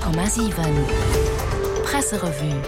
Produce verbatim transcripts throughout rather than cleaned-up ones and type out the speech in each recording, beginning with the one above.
Komma siwen Presserevue.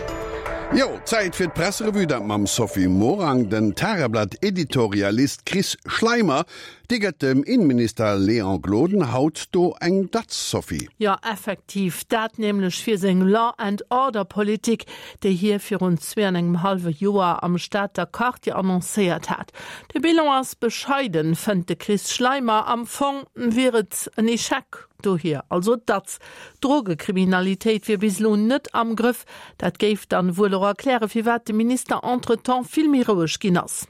Jo, Zäit fir d'Presserevue, dat mam Sophie Morang. Den Tageblatt-Editorialist Chris Schleimer, dee gëtt dem Inneminister Léon Gloden haut do eng Datz, Sophie. Jo, effektiv, dat nämlech fir seng Law and Order Politik, déi hie virun zwee an engem hallwe Joer am Stater Quartier annoncéiert hat. De Bilan ass bescheiden, fënnt de Chris Schleimer, am Fong wier et en Echec. Dohier also d'Datz. D'Drogekriminalitéit wier bis elo net am Grëff. Dat géif dann wuel och erklären, firwat de Minister entretemps vill méi roueg ginn ass.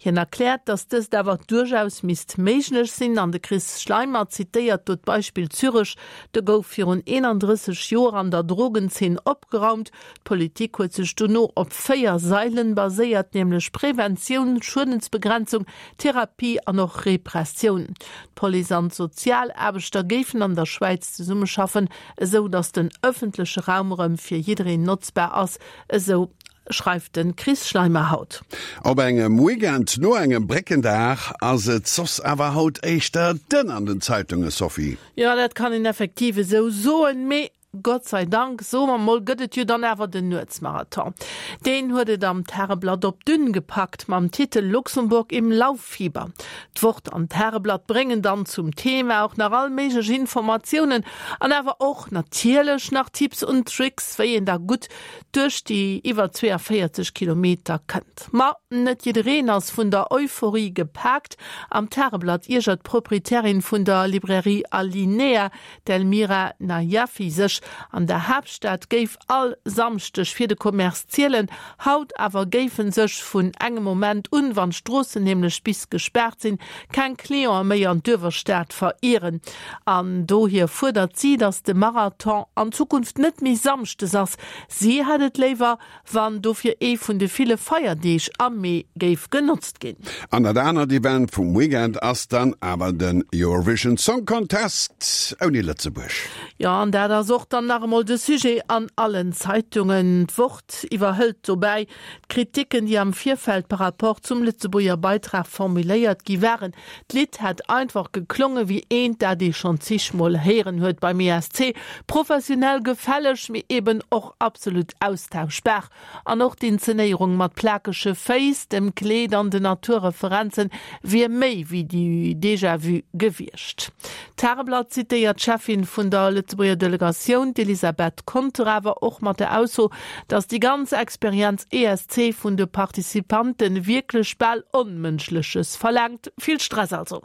Hien erkläert, datt dëst awer duerchaus misst méiglech sinn an de Chris Schleimer zitéiert do d'Beispill Zürech, Do gouf virun eenandrësseg Joer an der Drogenzeen opgeraumt. D'Politik huet sech dono op véier Sailen baséiert, nämlech Preventioun, Schuedensbegrenzung, Therapie an och Repressioun. D'Police an d'Sozialaarbechter géifen an der Schwäiz zesummeschaffen, esou datt den ëffentleche Raum erëm fir jiddereen notzbar ass, esou schreift de Chris Schleimer haut. Op engem Weekend no engem Bréckendag ass et soss awer haut éischter dënn an den Zeitunge, Sophie. Jo, dat kann een effektiv esou soen, mee Gott sei Dank, soe mer mol, gëtt et jo dann awer den Nuetsmarathon. Deen huet et am Tageblatt op d'Dünn gepackt mam Titel Luxemburg im Lauffieber. D'Wort an d'Tageblatt bréngen dann zum Thema och nach all méiglech Informatiounen an awer och natierlech nach Tipps und Tricks, wéi een da gutt duerch déi iwwer zweeënvéierzeg Kilometer kënnt. Ma net jiddereen ass vun der Euphorie gepaakt. Am Tageblatt iergert d'Proprietärin vun der Librairie Alinea, d'Elmira Najafi, sech, an der Haaptstad géif all Samschdeg fir de Commerce zielen. Haut awer géife sech vun engem Moment un, wann d'Stroossen nämlech bis gespaart sinn, keng Cliente méi an d'Uewerstad verieren. An dohier fuerdert si, datt de Marathon an Zukunft net méi samschdes ass. Si hätt et léiwer, wann dofir ee vun de ville Feierdeeg am Mee géif genotzt ginn. An dat anert Event vum Weekend ass dann awer den Eurovision Song Contest ouni Lëtzebuerg. Jo, an dat ass och dann nach emol de Sujet an allen Zeitungen. D'Wort iwwerhëlt dobäi d'Kriticken, déi am Virfeld par rapport zum Lëtzebuerger Beitrag formuléiert gi waren. D'Lidd hätt einfach geklonge wéi eent, dat ee schonn zigmol héieren huet beim E S C. Professionell, gefälleg, mee eben och absolut austauschbar. An och d'Inzenéierung mat plakege Féiss, dem Kleed an den Naturreferenzen wier méi wéi du Déjà-vu gewiescht. D'Tageblatt zitéiert d'Cheffin vun der Lëtzebuerger Delegatioun, d'Elisabeth Conter, awer och mat der Ausso, datt déi ganz Experienz E S C vun de Participante wierklech bal Onmënschleches verlaangt. Vill Stress also.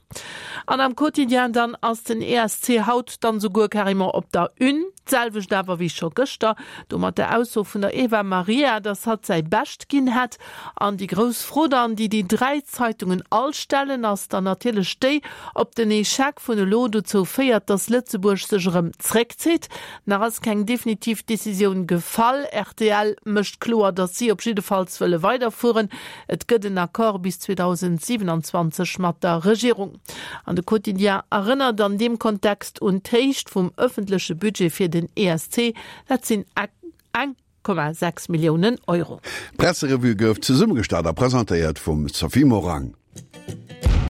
An am Quotidien dann ass den E S C haut dann souguer carrément op der Une, d'selwecht awer wéi scho gëschter, do mat der Ausso vun der Eva Maria, datt hatt säi Bescht ginn hätt. An déi grouss Fro dann, déi déi dräi Zeitungen all stellen, ass dann natierlech déi, ob den Echec vun elo dozou féiert, datt Lëtzebuerg sech erëm zréckzitt. Nach ass keng definitiv Decisioun gefall. R T L mécht kloer, datt si op jiddefalls wëlle weiderfueren. Et gëtt en Accord bis zweedausendsiwenanzwanzeg mat der Regierung. An de Quotidien erënnert an deem Kontext un d'Héicht vum ëffentleche Budget fir den E S C, dat sinn eng Komma sechs Milliounen Euro. D'Presserevue gouf zesummegestallt a presentéiert vum Sophie Morang.